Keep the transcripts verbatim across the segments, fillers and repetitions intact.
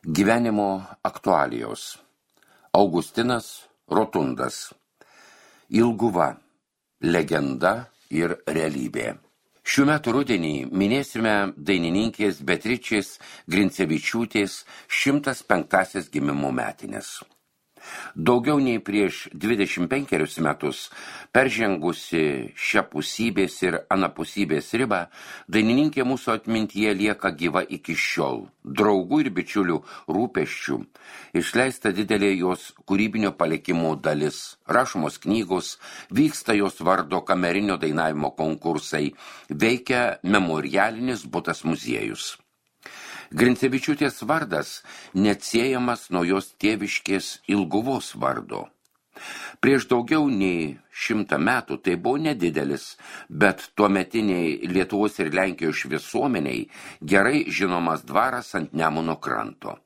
Gyvenimo aktualijos. Augustinas Rotundas. Ilguva. Legenda ir realybė. Šių metų rudenį minėsime dainininkės Beatričės Grincevičiūtės šimtas penktąsias gimimo metines. Daugiau nei prieš dvidešimt penkerius metus, peržengusi šiapusybės ir anapusybės ribą, dainininkė mūsų atmintyje lieka gyva iki šiol. Draugų ir bičiulių rūpesčių išleista didelė jos kūrybinio palikimo dalis. Rašomos knygos, vyksta jos vardo kamerinio dainavimo konkursai, veikia memorialinis butas muziejus. Grincevičiūtės vardas neatsiejamas nuo jos tėviškės Ilguvos vardo. Prieš daugiau nei šimtą metų tai buvo nedidelis, bet tuometiniai Lietuvos ir Lenkijos visuomeniai gerai žinomas dvaras ant Nemuno kranto.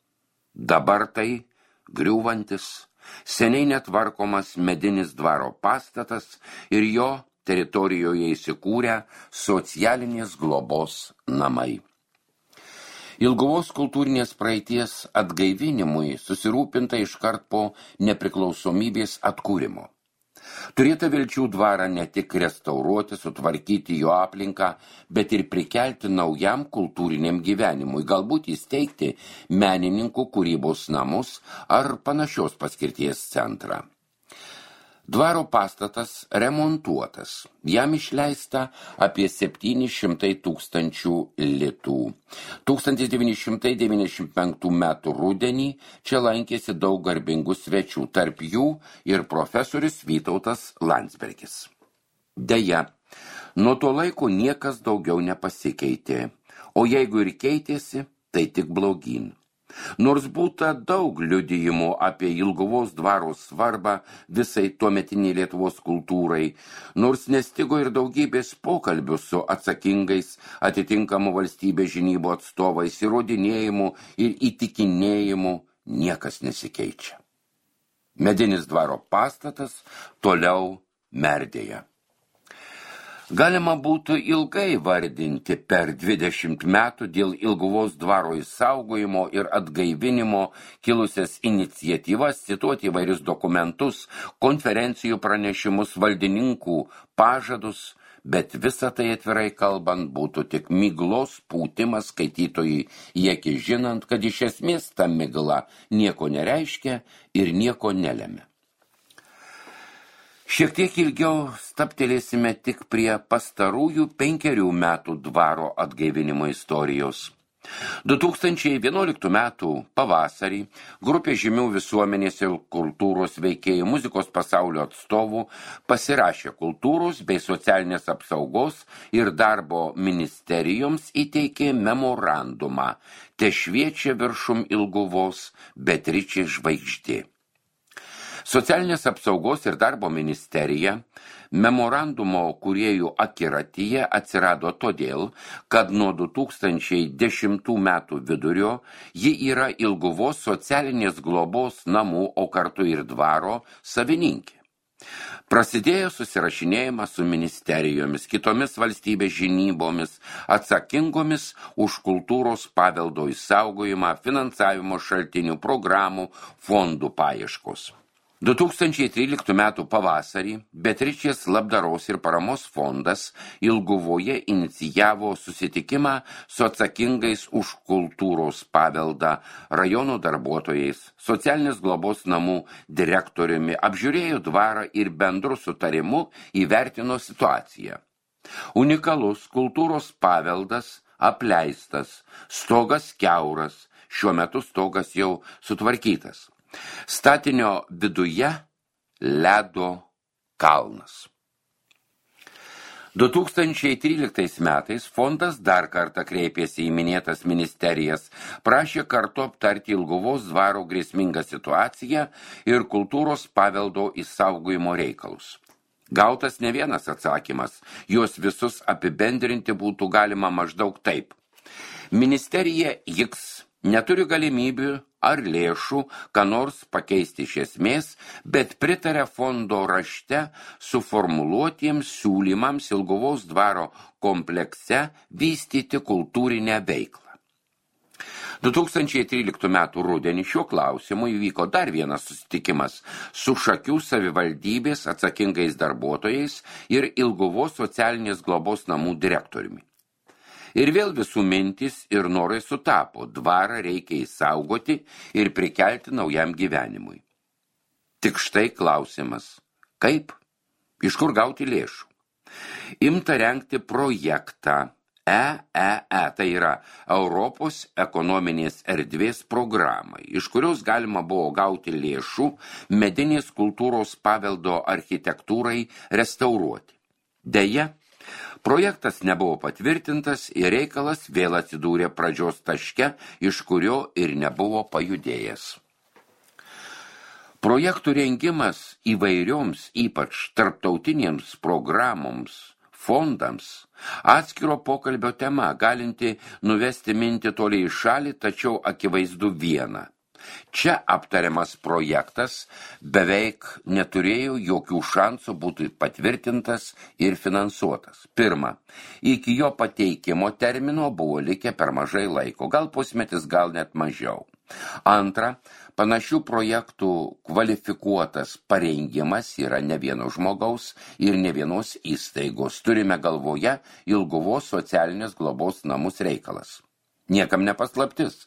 Dabar tai griūvantis, seniai netvarkomas medinis dvaro pastatas ir jo teritorijoje įsikūrę socialinės globos namai. Ilguvos kultūrinės praeities atgaivinimui susirūpinta iškart po nepriklausomybės atkūrimo. Turėta vilčių dvarą ne tik restauruoti, sutvarkyti jo aplinką, bet ir prikelti naujam kultūriniam gyvenimui, galbūt įsteigti menininkų kūrybos namus ar panašios paskirties centrą. Dvaro pastatas remontuotas, jam išleista apie septyni šimtai tūkstančių litų. tūkstantis devyni šimtai devyniasdešimt penktų metų rudenį čia lankėsi daug garbingų svečių, tarp jų ir profesorius Vytautas Landsbergis. Deja, nuo to laiko niekas daugiau nepasikeitė, o jeigu ir keitėsi, tai tik blogyn. Nors būta daug liudijimų apie Ilguvos dvaro svarbą visai tuometiniai Lietuvos kultūrai, nors nestigo ir daugybės pokalbių su atsakingais atitinkamų valstybės žinybų atstovais, įrodinėjimų ir įtikinėjimų, niekas nesikeičia. Medinis dvaro pastatas toliau merdėja. Galima būtų ilgai vardinti per dvidešimt metų dėl Ilguvos dvaro išsaugojimo ir atgaivinimo kilusias iniciatyvas, cituoti įvairius dokumentus, konferencijų pranešimus, valdininkų pažadus, bet visa tai atvirai kalbant būtų tik miglos pūtimas skaitytojui, į akį žinant, kad iš esmės ta migla nieko nereiškia ir nieko nelemia. Šiek tiek ilgiau staptelėsime tik prie pastarųjų penkerių metų dvaro atgaivinimo istorijos. du tūkstančiai vienuoliktų metų pavasarį grupė žymių visuomenės ir kultūros veikėjų muzikos pasaulio atstovų pasirašė kultūros bei socialinės apsaugos ir darbo ministerijoms įteikė memorandumą Te šviečia viršum Ilguvos Beatričės žvaigždė. Socialinės apsaugos ir darbo ministerija memorandumo kūrėjų akiratyje atsirado todėl, kad nuo du tūkstančiai dešimtų metų vidurio ji yra Ilguvos socialinės globos namų, o kartu ir dvaro savininkė. Prasidėjo susirašinėjimas su ministerijomis, kitomis valstybės žinybomis, atsakingomis už kultūros paveldo išsaugojimą, finansavimo šaltinių, programų, fondų paieškos. du tūkstančiai tryliktų metų pavasarį Beatričės labdaros ir paramos fondas Ilguvoje inicijavo susitikimą su atsakingais už kultūros paveldą rajono darbuotojais, socialinės globos namų direktoriumi, apžiūrėjo dvarą ir bendru sutarimu įvertino situaciją. Unikalus kultūros paveldas apleistas, stogas kiauras, šiuo metu stogas jau sutvarkytas. Statinio viduje ledo kalnas. du tūkstančiai tryliktais metais fondas dar kartą kreipėsi į minėtas ministerijas, prašė kartu aptarti Ilguvos dvaro grėsmingą situaciją ir kultūros paveldo išsaugojimo reikalus. Gautas ne vienas atsakymas, juos visus apibendrinti būtų galima maždaug taip. Ministerija X neturi galimybių ar lėšų, ką nors pakeisti iš esmės, bet pritarė fondo rašte suformuluotiems siūlymams Ilguvos dvaro komplekse vystyti kultūrinę veiklą. du tūkstančiai tryliktų metų rudenį šiuo klausimu įvyko dar vienas susitikimas su Šakių savivaldybės atsakingais darbuotojais ir Ilguvos socialinės globos namų direktoriumi. Ir vėl visų mintis ir norai sutapo, dvarą reikia įsaugoti ir prikelti naujam gyvenimui. Tik štai klausimas, kaip? Iš kur gauti lėšų? Imta rengti projektą E E E, tai yra Europos ekonominės erdvės programai, iš kurios galima buvo gauti lėšų medinės kultūros paveldo architektūrai restauruoti. Deja, projektas nebuvo patvirtintas ir reikalas vėl atsidūrė pradžios taške, iš kurio ir nebuvo pajudėjęs. Projektų rengimas įvairioms, ypač tarptautinėms programoms, fondams, atskiro pokalbio tema, galinti nuvesti mintį toliai į šalį, tačiau akivaizdu viena. Čia aptariamas projektas beveik neturėjo jokių šansų būti patvirtintas ir finansuotas. Pirma, iki jo pateikimo termino buvo likę per mažai laiko, gal pusmetis, gal net mažiau. Antra, panašių projektų kvalifikuotas parengimas yra ne vieno žmogaus ir ne vienos įstaigos. Turime galvoje Ilguvos socialinės globos namus reikalas. Niekam nepaslaptis,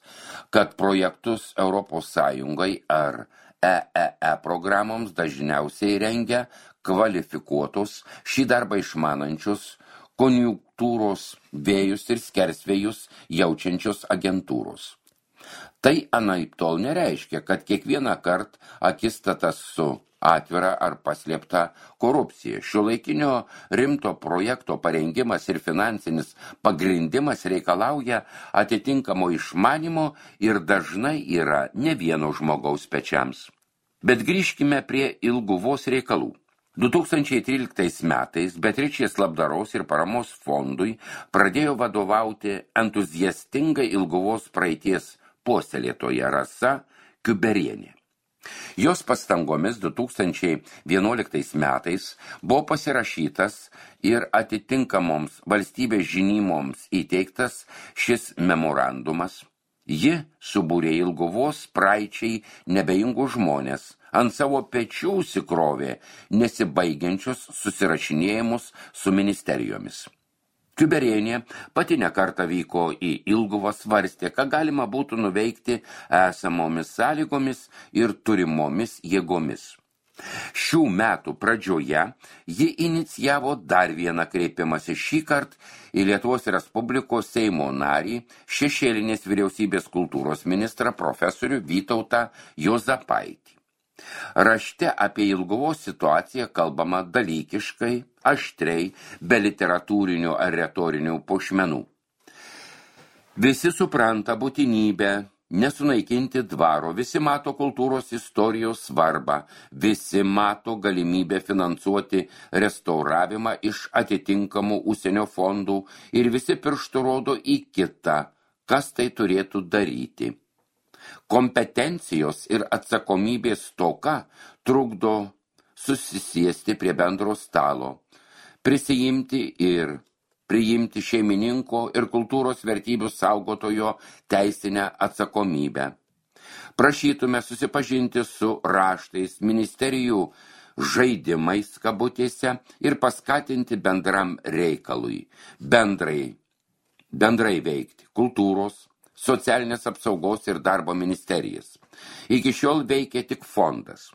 kad projektus Europos Sąjungai ar E E E programoms dažniausiai rengia kvalifikuotus šį darbą išmanančius konjunktūros vėjus ir skersvėjus jaučiančios agentūros. Tai anaiptol nereiškia, kad kiekvieną kartą akistatas su atvira ar paslėpta korupcija. Šiuolaikinio rimto projekto parengimas ir finansinis pagrindimas reikalauja atitinkamo išmanimo ir dažnai yra ne vieno žmogaus pečiams. Bet grįžkime prie Ilguvos reikalų. du tūkstančiai tryliktais metais Beatričės labdaros ir paramos fondui pradėjo vadovauti entuziastinga Ilguvos praeities puoselėtoja Rasa Kiuberienė. Jos pastangomis du tūkstančiai vienuoliktais metais buvo pasirašytas ir atitinkamoms valstybės žinymoms įteiktas šis memorandumas. Ji subūrė Ilguvos praeičiai nebeingų žmonės, ant savo pečių užsikrovė nesibaigiančius susirašinėjimus su ministerijomis. Kiuberienė pati ne kartą vyko į Ilguvą, svarstė, ką galima būtų nuveikti esamomis sąlygomis ir turimomis jėgomis. Šių metų pradžioje ji inicijavo dar vieną kreipimąsi šį kartą į Lietuvos Respublikos Seimo narį, šešėlinės vyriausybės kultūros ministrą profesorių Vytautą Juozapaitį. Rašte apie Ilguvos situaciją kalbama dalykiškai, aštriai, be literatūrinių ar retorinių puošmenų. Visi supranta būtinybę nesunaikinti dvaro, visi mato kultūros istorijos svarbą, visi mato galimybę finansuoti restauravimą iš atitinkamų užsienio fondų ir visi pirštų rodo į kitą, kas tai turėtų daryti. Kompetencijos ir atsakomybės stoka trukdo susisiesti prie bendro stalo, prisijimti ir priimti šeimininko ir kultūros vertybių saugotojo teisinę atsakomybę. Prašytume susipažinti su raštais, ministerijų žaidimais kabutėse ir paskatinti bendram reikalui, bendrai, bendrai veikti kultūros, socialinės apsaugos ir darbo ministerijas. Iki šiol veikia tik fondas.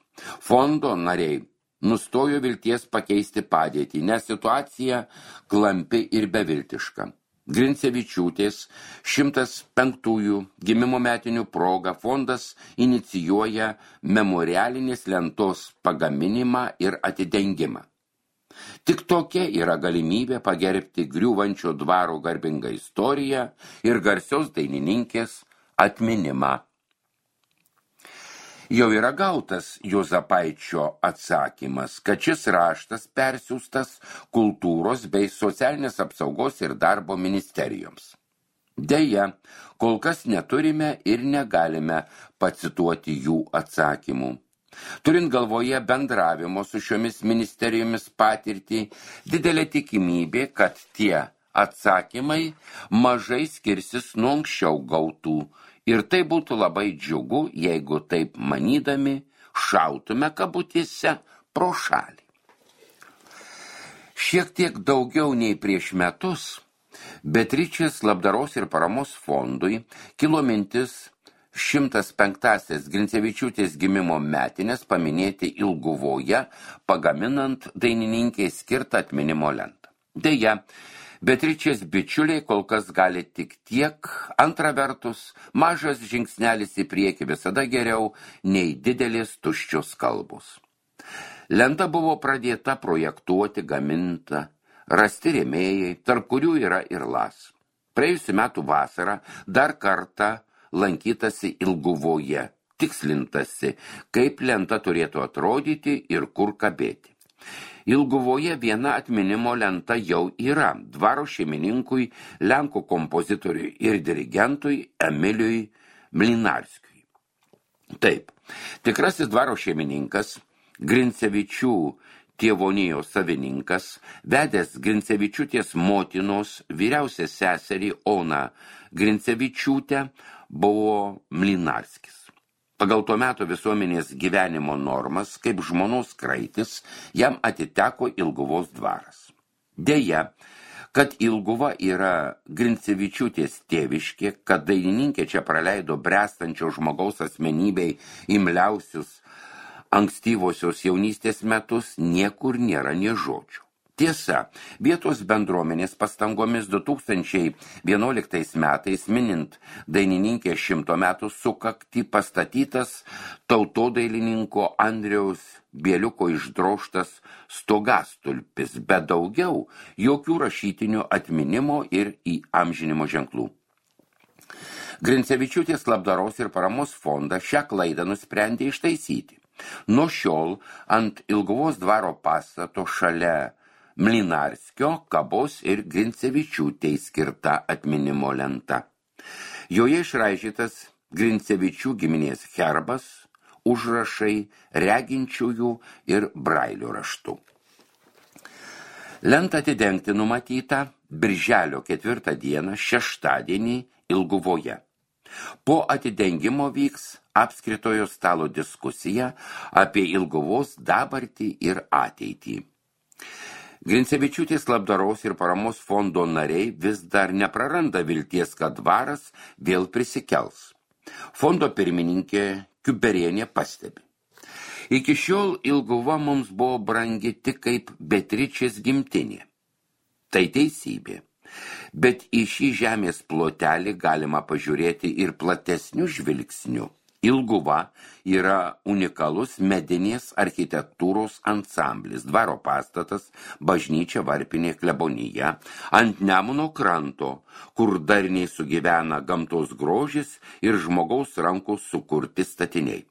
Fondo nariai nustojo vilties pakeisti padėtį, nes situacija klampi ir beviltiška. Grincevičiūtės šimtas penktųjų gimimo metinių proga fondas inicijuoja memorialinės lentos pagaminimą ir atidengimą. Tik tokia yra galimybė pagerbti griūvančio dvaro garbingą istoriją ir garsios dainininkės atminimą. Jau yra gautas Juozapaičio atsakymas, kad šis raštas persiųstas kultūros bei socialinės apsaugos ir darbo ministerijoms. Deja, kol kas neturime ir negalime pacituoti jų atsakymų. Turint galvoje bendravimo su šiomis ministerijomis patirtį, didelė tikimybė, kad tie atsakymai mažai skirsis nuo anksčiau gautų Ir tai būtų labai džiugu, jeigu taip manydami šautume kabutėse pro šalį. Šiek tiek daugiau nei prieš metus Beatričės labdaros ir paramos fondui kilo mintis šimtas penktąsias Grincevičiūtės gimimo metinės paminėti Ilguvoje, pagaminant dainininkei skirtą atminimo lentą. Deja, Beatričės bičiuliai kol kas gali tik tiek, antra vertus, mažas žingsnelis į priekį visada geriau nei didelės tuščios kalbos. Lenta buvo pradėta projektuoti, gaminta, rasti rėmėjai, tarp kurių yra ir Las. Praėjusių metų vasarą dar kartą lankytasi Ilguvoje, tikslintasi, kaip lenta turėtų atrodyti ir kur kabėti. Ilguvoje viena atminimo lenta jau yra dvaro šeimininkui, lenkų kompozitoriui ir dirigentui Emiliui Mlinarskiui. Taip, tikrasis dvaro šeimininkas, Grincevičių tėvonijos savininkas, vedęs Grincevičiūtės motinos vyriausią seserį Oną Grincevičiūtę, buvo Mlinarskis. Pagal tuo metu visuomenės gyvenimo normas, kaip žmonos kraitis, jam atiteko Ilguvos dvaras. Deja, kad Ilguva yra Grincevičiūtės tėviškė, kad dainininkė čia praleido bręstančio žmogaus asmenybei imliausius ankstyvosios jaunystės metus, niekur nėra nė žodžių. Tiesa, vietos bendruomenės pastangomis du tūkstančiai vienuoliktais metais minint dainininkės šimto metų sukaktį pastatytas tautodailininko Andriaus Bieliuko išdrožtas stogastulpis, bet daugiau jokių rašytinių atminimo ir įamžinimo ženklų. Grincevičiūtės labdaros ir paramos fondą šią klaidą nusprendė ištaisyti. Nuo šiol ant Ilguvos dvaro pastato šalia Mlinarskio kabos ir Grincevičiūtei skirta atminimo lenta. Joje išraižytas Grincevičių giminės herbas, užrašai reginčiųjų ir brailio raštu. Lentą atidengti numatyta birželio ketvirtą dieną šeštadienį Ilguvoje. Po atidengimo vyks apskritojo stalo diskusija apie Ilguvos dabartį ir ateitį. Grincevičiūtės labdaros ir paramos fondo nariai vis dar nepraranda vilties, kad dvaras vėl prisikels. Fondo pirmininkė Kiuberienė pastebi. Iki šiol Ilguva mums buvo brangi tik kaip Beatričės gimtinė. Tai teisybė. Bet į šį žemės plotelį galima pažiūrėti ir platesnių žvilgsnių. Ilguva yra unikalus medinės architektūros ansamblis, dvaro pastatas, bažnyčia, varpinė, klebonija, ant Nemuno kranto, kur darniai sugyvena gamtos grožis ir žmogaus rankų sukurti statiniai.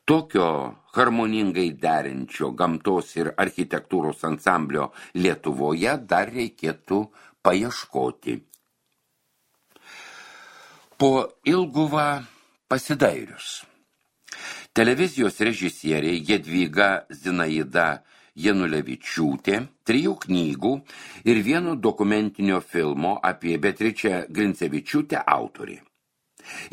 Tokio harmoningai derinčio gamtos ir architektūros ansamblio Lietuvoje dar reikėtų paieškoti. Po Ilguvą pasidairius. Televizijos režisierė Jadvyga Zinaida Janulevičiūtė, trijų knygų ir vieno dokumentinio filmo apie Beatričę Grincevičiūtę autorė.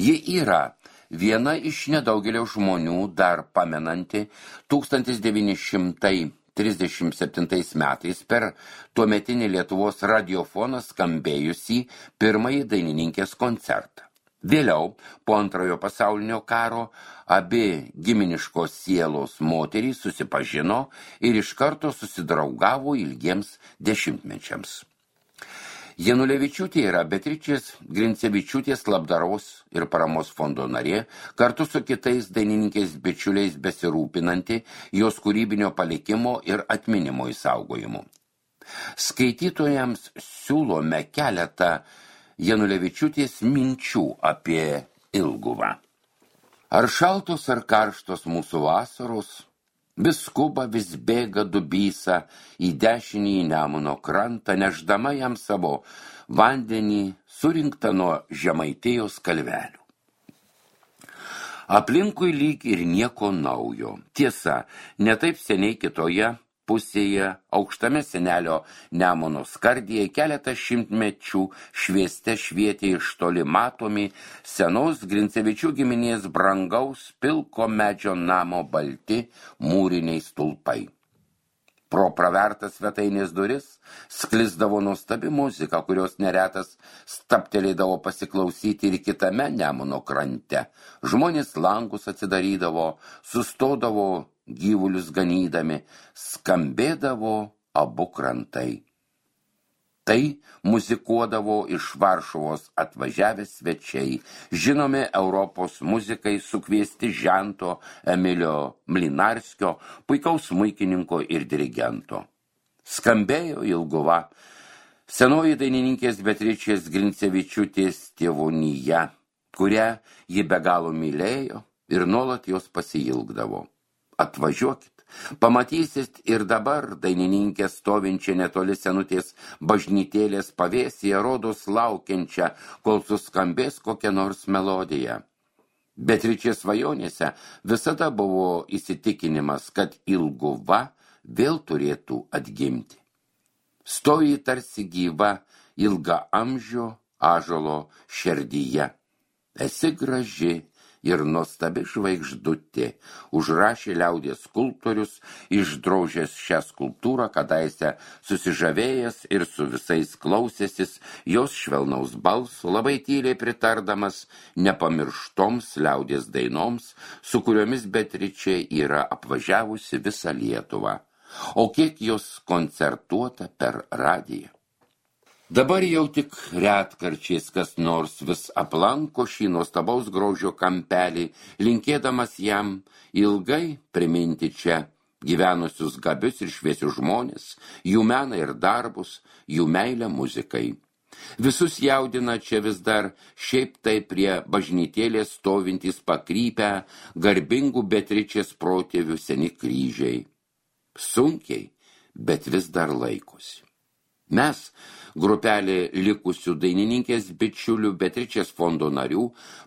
Ji yra viena iš nedaugelio žmonių dar pamenanti tūkstantis devyni šimtai trisdešimt septintais metais per tuometinį Lietuvos radiofoną skambėjusį pirmąjį dainininkės koncertą. Vėliau, po antrojo pasaulinio karo, abi giminiškos sielos moterys susipažino ir iš karto susidraugavo ilgiems dešimtmečiams. Janulevičiūtė yra Beatričės Grincevičiūtės labdaros ir paramos fondo narė, kartu su kitais dainininkės bičiuliais besirūpinanti jos kūrybinio palikimo ir atminimo išsaugojimu. Skaitytojams siūlome keletą Janulevičiūtės minčių apie Ilguvą. Ar šaltos ar karštos mūsų vasaros, vis skuba, vis bėga dubysa į dešinį Nemuno krantą, nešdama jam savo vandenį surinktą nuo Žemaitijos kalvelių. Aplinkui lyg ir nieko naujo. Tiesa, ne taip seniai kitoje pusėje, aukštame senelio Nemuno skardyje keletą šimtmečių švieste švietė iš toli matomi senos Grincevičių giminės brangaus pilko medžio namo balti mūriniai stulpai. Pro pravertas svetainės duris sklisdavo nuostabi muzika, kurios neretas staptelėdavo pasiklausyti ir kitame Nemuno krante. Žmonės langus atsidarydavo, sustodavo gyvulius ganydami, skambėdavo abu krantai. Tai muzikuodavo iš Varšuvos atvažiavę svečiai, žinomi Europos muzikai sukviesti Žento Emilio Mlinarskio, puikaus smuikininko ir dirigento. Skambėjo Ilguva, senoji dainininkės Beatričės Grincevičiūtės tėvonija, kurią ji be galo mylėjo ir nuolat jos pasiilgdavo. Atvažiuokit. Pamatysit ir dabar dainininkę stovinčią netoli senutės bažnytėlės pavėsyje, rodos laukiančią, kol suskambės kokia nors melodija. Beatričės svajonėse visada buvo įsitikinimas, kad Ilguva vėl turėtų atgimti. Stoji tarsi gyva ilga amžio ąžuolo šerdyje. Esi graži ir nuostabi žvaigždutė, užrašė liaudies skulptorius, išdrožęs šią skulptūrą, kadaise susižavėjęs ir su visais klausėsis jos švelnaus balso, labai tyliai pritardamas nepamirštoms liaudies dainoms, su kuriomis Beatričė yra apvažiavusi visą Lietuvą. O kiek jos koncertuota per radiją. Dabar jau tik retkarčiais kas nors vis aplanko šį nuostabaus grožio kampelį, linkėdamas jam ilgai priminti čia gyvenusius gabius ir šviesius žmonės, jų meną ir darbus, jų meilę muzikai. Visus jaudina čia vis dar šiaip tai prie bažnytėlės stovintys pakrypę garbingų Beatričės protėvių seni kryžiai. Sunkiai, bet vis dar laikosi. Mes, grupelė likusių dainininkės bičiulių Beatričės fondo narių,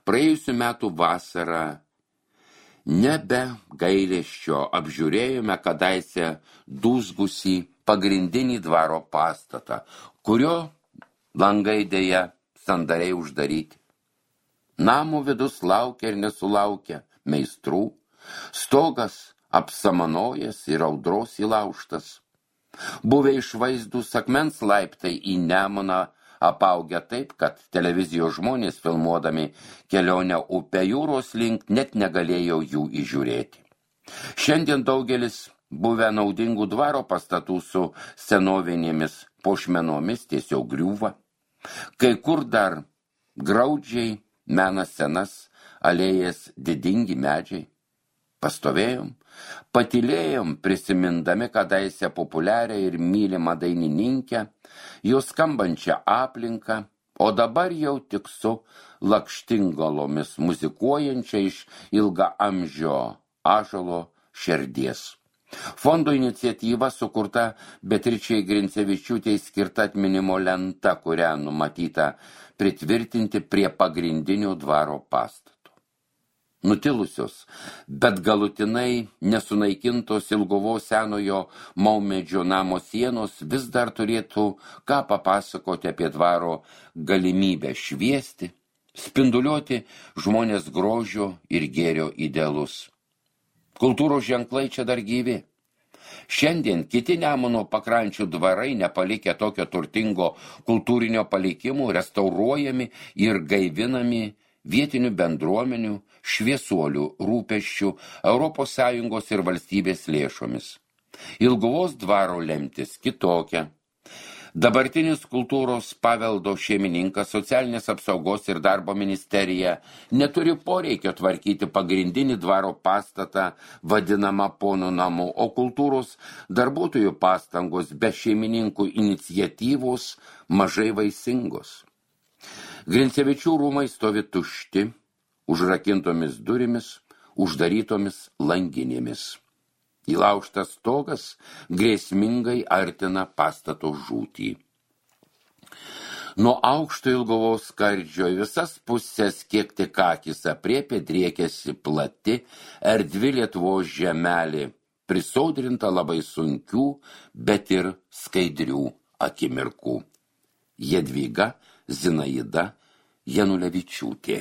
praėjusių metų vasarą nebe gailesčio apžiūrėjome kadaise dūzgusį pagrindinį dvaro pastatą, kurio langai dėja sandariai uždaryti. Namo vidus laukia ir nesulaukia meistrų, stogas apsamanojęs ir audros įlaužtas. Buvę išvaizdūs akmens laiptai į Nemuną apaugę taip, kad televizijos žmonės filmuodami kelionę upę jūros link net negalėjo jų įžiūrėti. Šiandien daugelis buvę naudingų dvaro pastatų su senovinėmis puošmenomis tiesiog griūva. Kai kur dar graudžiai mena senas alėjas didingi medžiai. Pastovėjom, patylėjom, prisimindami kadaise populiarią ir mylimą dainininkę, jos skambančią aplinką, o dabar jau tik su lakštingalomis muzikuojančia iš ilgaamžio ąžuolo šerdies. Fondo iniciatyva sukurta Beatričei Grincevičiūtei skirta atminimo lenta, kurią numatyta pritvirtinti prie pagrindinio dvaro pastato. Nutilusios, bet galutinai nesunaikintos Ilguvos senojo maumedžio namo sienos vis dar turėtų ką papasakoti apie dvaro galimybę šviesti, spinduliuoti žmonės grožio ir gėrio idealus. Kultūros ženklai čia dar gyvi. Šiandien kiti Nemuno pakrančių dvarai, nepalikę tokio turtingo kultūrinio palikimo, restauruojami ir gaivinami vietinių bendruomenių, šviesuolių rūpesčių, Europos Sąjungos ir valstybės lėšomis. Ilguvos dvaro lemtis kitokia. Dabartinis kultūros paveldo šeimininkas, socialinės apsaugos ir darbo ministerija neturi poreikio tvarkyti pagrindinį dvaro pastatą vadinamą ponų namu, o kultūros darbuotojų pastangos be šeimininkų iniciatyvos mažai vaisingos. Grincevičių rūmai stovi tušti, užrakintomis durimis, uždarytomis langinėmis. Įlaužtas stogas grėsmingai artina pastato žūtį. Nuo aukšto Ilguvos skardžio visas pusės, kiek tik akis apriepė, driekėsi plati, erdvi Lietuvos žemelė, prisodrinta labai sunkių, bet ir skaidrių akimirkų. Jadvyga Zinaida Janulevičiūtė.